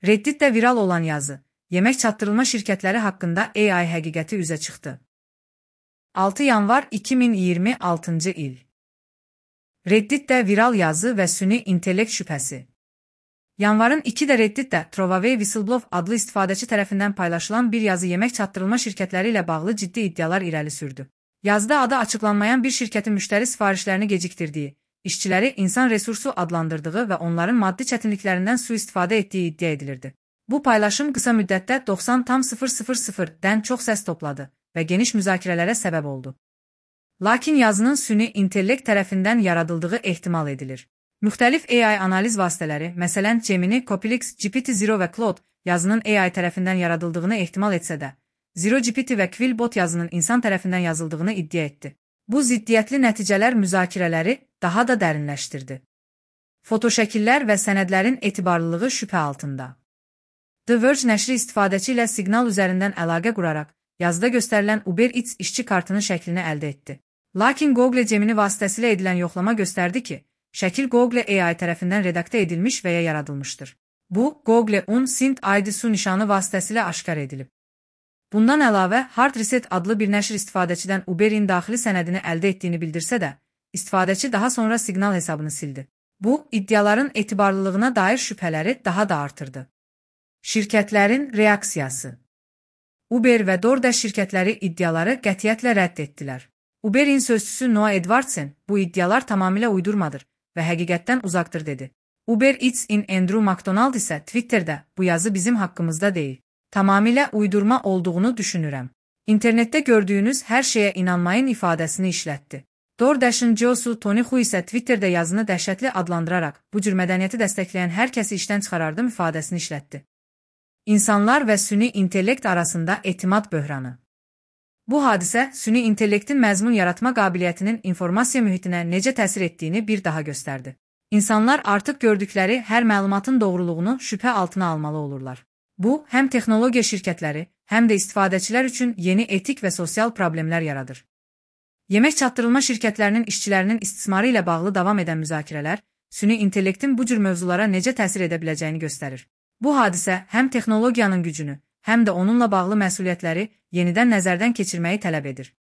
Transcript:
Reddit'te viral olan yazı, yemək çatdırılma şirkətləri haqqında AI həqiqəti üzə çıxdı. 6 yanvar 2026-cı il. Reddit'te viral yazı və süni intellekt şübhəsi. Yanvarın 2-də Reddit'te Trovaway Whistleblower adlı istifadəçi tərəfindən paylaşılan bir yazı yemək çatdırılma şirkətləri ilə bağlı ciddi iddialar irəli sürdü. Yazıda adı açıqlanmayan bir şirkətin müştəri sifarişlərini gecikdirdiyi, işçiləri insan resursu adlandırdığı və onların maddi çətinliklərindən sui-istifadə etdiyi iddia edilirdi. Bu paylaşım qısa müddətdə 90,000-dən çox səs topladı və geniş müzakirələrə səbəb oldu. Lakin yazının süni intellekt tərəfindən yaradıldığı ehtimal edilir. Müxtəlif AI analiz vasitələri, məsələn Gemini, Copilux, GPT-0 və Claude yazının AI tərəfindən yaradıldığını ehtimal etsə də, ZeroGPT və Quillbot yazının insan tərəfindən yazıldığını iddia etdi. Bu ziddiyyətli nəticələr müzakirələri daha da dərinləşdirdi. Fotoşəkillər və sənədlərin etibarlılığı şübhə altında. The Verge nəşri istifadəçi ilə siqnal üzərindən əlaqə quraraq, yazıda göstərilən Uber Eats işçi kartının şəklini əldə etdi. Lakin Google Gemini vasitəsilə edilən yoxlama göstərdi ki, şəkil Google AI tərəfindən redaktə edilmiş və ya yaradılmışdır. Bu, Google Unsint ID su nişanı vasitəsilə aşkar edilib. Bundan əlavə, Hard Reset adlı bir nəşr istifadəçidən Uber-in daxili sənədini əldə etdiyini bildirsə də, istifadəçi daha sonra siqnal hesabını sildi. Bu, iddiaların etibarlılığına dair şübhələri daha da artırdı. Şirkətlərin reaksiyası. Uber və DoorDash şirkətləri iddiaları qətiyyətlə rədd etdilər. Uber-in sözçüsü Noah Edwardson, bu iddialar tamamilə uydurmadır və həqiqətdən uzaqdır dedi. Uber Eats-in Andrew McDonald isə Twitterdə bu yazı bizim haqqımızda deyil. Tamamilə uydurma olduğunu düşünürəm. İnternetdə gördüyünüz hər şeyə inanmayın ifadəsini işlətdi. DoorDash'ın CEO-su Tony Hu isə Twitterdə yazını dəhşətli adlandıraraq bu cür mədəniyyəti dəstəkləyən hər kəsi işdən çıxarardım ifadəsini işlətdi. İnsanlar və süni intellekt arasında etimad böhranı. Bu hadisə süni intellektin məzmun yaratma qabiliyyətinin informasiya mühitinə necə təsir etdiyini bir daha göstərdi. İnsanlar artıq gördükləri hər məlumatın doğruluğunu şübhə altına almalı olurlar. Bu, həm texnologiya şirkətləri, həm də istifadəçilər üçün yeni etik və sosial problemlər yaradır. Yemək çatdırılma şirkətlərinin işçilərinin istismarı ilə bağlı davam edən müzakirələr, süni intellektin bu cür mövzulara necə təsir edə biləcəyini göstərir. Bu hadisə həm texnologiyanın gücünü, həm də onunla bağlı məsuliyyətləri yenidən nəzərdən keçirməyi tələb edir.